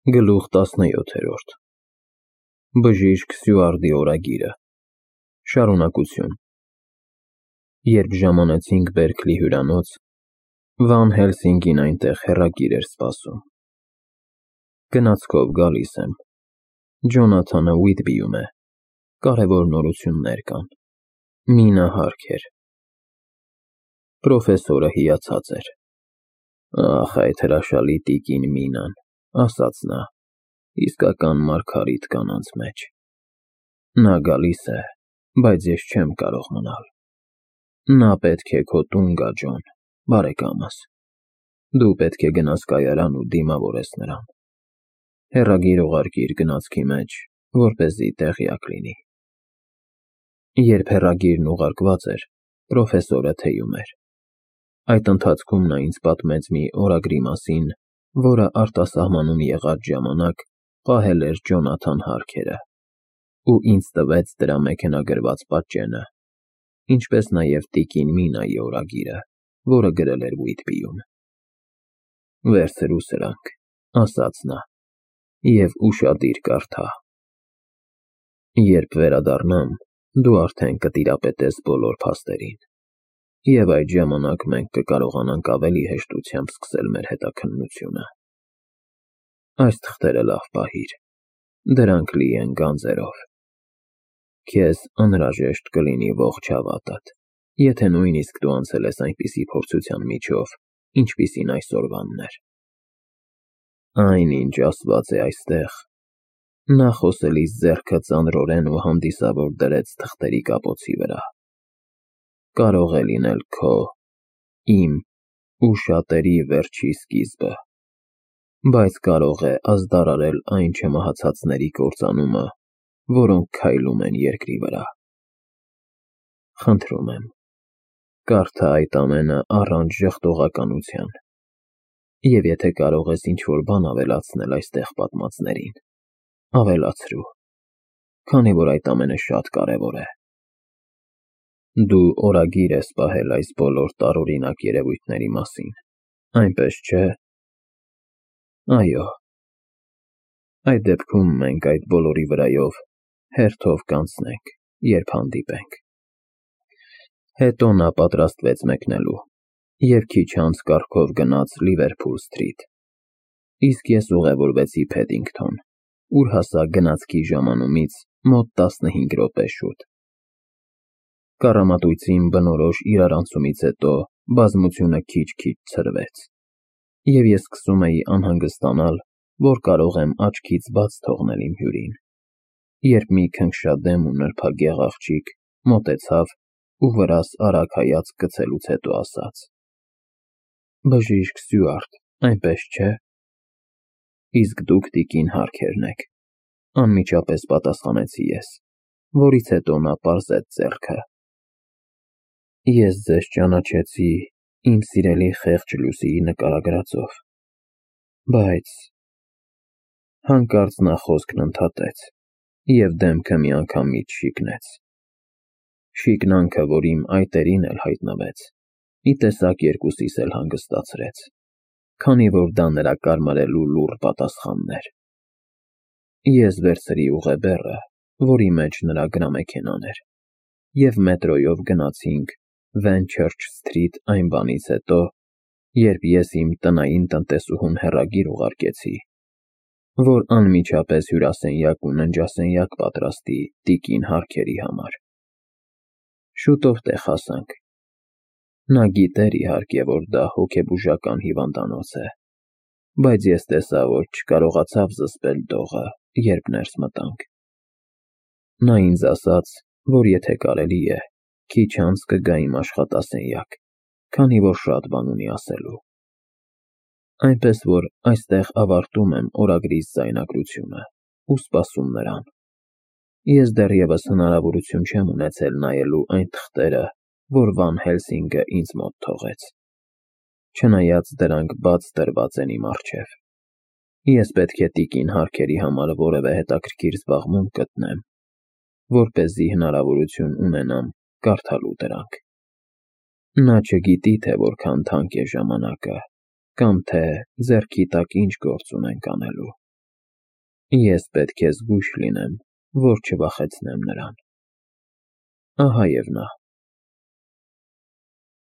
Գլուխ 17 Բժիշկ Սյուարդի օրագիրը Շարունակություն Երբ ժամանեցինք Բերքլի հյուրանոց, Վան Հելսինգին այնտեղ հեռագիր էր սպասում։ Գնացքով գալիս եմ։ Ջոնաթանը Ուիթբիում է։ Կարևոր նորություններ կան։ Մինա հարկ էր։ Պրոֆեսորը հիացած էր։ Ախ, այդ հրաշալի տիկին Մինան, ասաց նա, իսկական մարգարիտ կանանց մեջ։ Նա գալիս է, բայց ես չեմ կարող մնալ։ Նա պետք է քո տուն գա, Ջոն, բարեկամս։ Դու պետք է գնաս կայարան ու դիմավորես նրան։ Հեռագիր ուղարկիր գնացքի մեջ, որպեսզի տեղյակ լինի։ Երբ հեռագիրն ուղարկված էր, պրոֆեսորը թեյում էր։ Այդ ընթացքում նա ինձ պատմեց մի օրագրի մասին, որը արտասահմանում եղած ժամանակ պահել էր Ջոնաթան Հարքերը, ու ինձ տվեց դրա մեքենագրված պատճենը, ինչպես նաև տիկին Մինայի օրագիրը, որը գրել էր Ուիթբիում։ Վերցրու սրանք, ասաց նա, և ուշադիր կարդա։ Երբ վերադառնամ, դու արդեն կտիրապետես բոլոր փաստերին, և այդ ժամանակ մենք կկարողանանք ավելի հեշտությամբ սկսել մեր հետաքննությունը։ Այս թղթերը լավ պահիր, դրանք լի են գանձերով։ Քեզ անհրաժեշտ կլինի ողջ հավատդ, եթե նույնիսկ դու անցել ես այնպիսի փորձության միջով, ինչպիսին այսօրվանն էր։ Այն, ինչ ասված է այստեղ, նա խոսելիս ձեռքը ծանրորեն ու հանդիսավոր դրեց թղթերի կապոցի վրա, կարող է լինել քո, իմ ու շատերի վերջի սկիզբը, բայց կարող է ազդարարել այն չմահացածների կործանումը, որոնք քայլում են երկրի վրա։ Խնդրում եմ, կարդա այդ ամենը առանց ժխտողականության, և եթե կարող ես ինչ-որ բան ավելացնել այստեղ պատմածներին, ավելացրու, քանի որ այդ ամենը շատ կարևոր է։ Դու օրագիր ես պահել այս բոլոր տարօրինակ երևույթների մասին, այնպես չէ՞։ Այո։ Այդ դեպքում մենք այդ բոլորի վրայով հերթով կանցնենք, երբ հանդիպենք։ Հետո նա պատրաստվեց մեկնելու, և քիչ անց կառքով գնաց Լիվերփուլ Սթրիթ, իսկ ես ուղևորվեցի Փեդինգթոն, ուր հասա գնացքի ժամանումից մոտ 15 րոպե շուտ։ Կառամատույցին բնորոշ իրարանցումից հետո բազմությունը քիչ-քիչ ցրվեց, և ես սկսում էի անհանգստանալ, որ կարող եմ աչքից բաց թողնել իմ հյուրին, երբ մի քնքշադեմ ու նրբագեղ աղջիկ մոտեցավ ու վրաս արագ հայացք գցելուց հետո ասաց. Բժիշկ Սյուարդ, այնպես չէ։ Իսկ դուք տիկին Հարքերն եք, անմիջապես պատասխանեցի ես, որից հետո նա պարզեց ձեռքը։ Ես ձեզ ճանաչեցի իմ սիրելի խեղճ Լուսիի նկարագրածով, բայց… Հանկարծ նա խոսքն ընդհատեց և դեմքը միանգամից շիկնեց։ Շիկնանքը, որ իմ այտերին էլ հայտնվեց, մի տեսակ երկուսիս էլ հանգստացրեց, քանի որ դա նրա կարմարելու լուռ պատասխանն էր։ Ես վերցրի ուղեբեռը, որի մեջ նրա գրամեքենան էր, և մետրոյով գնացինք Վենչըրչ Սթրիթ այն բանից հետո, երբ ես իմ տնային տնտեսուհուն հեռագիր ուղարկեցի, որ անմիջապես հյուրասենյակ ու ննջասենյակ պատրաստի տիկին Հարքերի համար։ Շուտով տեղ հասանք։ Նա գիտեր, իհարկե, որ դա հոգեբուժական հիվանդանոց է, բայց ես տեսա, որ չկարողացավ զսպել դողը, երբ ներս մտանք։ Նա ինձ ասաց, որ եթե կարելի է, քիչ անց կգա իմ աշխատասենյակ, քանի որ շատ բան ունի ասելու։ Այնպես որ այստեղ ավարտում եմ օրագրիս ձայնագրությունը ու սպասում նրան։ Ես դեռևս հնարավորություն չեմ ունեցել նայելու այն թղթերը, որ Վան Հելսինգը ինձ մոտ թողեց, չնայած դրանք բաց տրված են իմ առջև։ Ես պետք է տիկին Հարքերի համար որևէ հետաքրքիր զբաղմունք գտնեմ, որպեսզի հնարավորություն ունենամ կարդալու դրանք։ Նա չգիտի, թե որքան թանկ է ժամանակը, կամ թե ձեռքի տակ ինչ գործ ունենք անելու։ Ես պետք է զգույշ լինեմ, որ չվախեցնեմ նրան։ Ահա և նա։